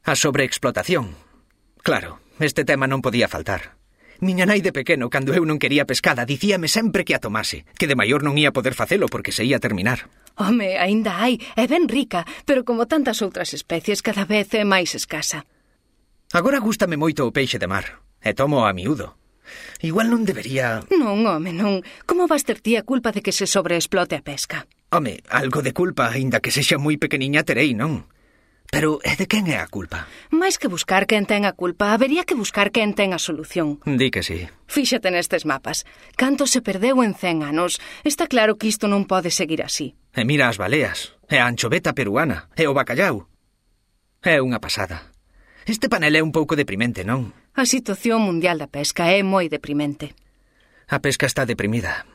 A sobreexplotación. Claro, este tema non podía faltar. Miña nai de pequeno, cando eu non quería pescada, dicíame sempre que a tomase, que de maior non ia poder facelo porque se ia terminar. Home, aínda hai, é ben rica, pero como tantas outras especies, cada vez é máis escasa. Agora gústame moito o peixe de mar, e tomo a miúdo. Igual non debería... Non, home, non. Como vas ter ti a culpa de que se sobreexplote a pesca? Home, algo de culpa, aínda que sexa moi pequeniña, terei, non? Pero é de quen é a culpa? Mais que buscar quen ten a culpa, habería que buscar quen ten a solución. Di que sí. Fíxate nestes mapas. Canto se perdeu en 100 anos. Está claro que isto non pode seguir así. E mira as baleas, e a anchoveta peruana, e o bacallau. É unha pasada. Este panel é un pouco deprimente, non? A situación mundial da pesca é moi deprimente. A pesca está deprimida.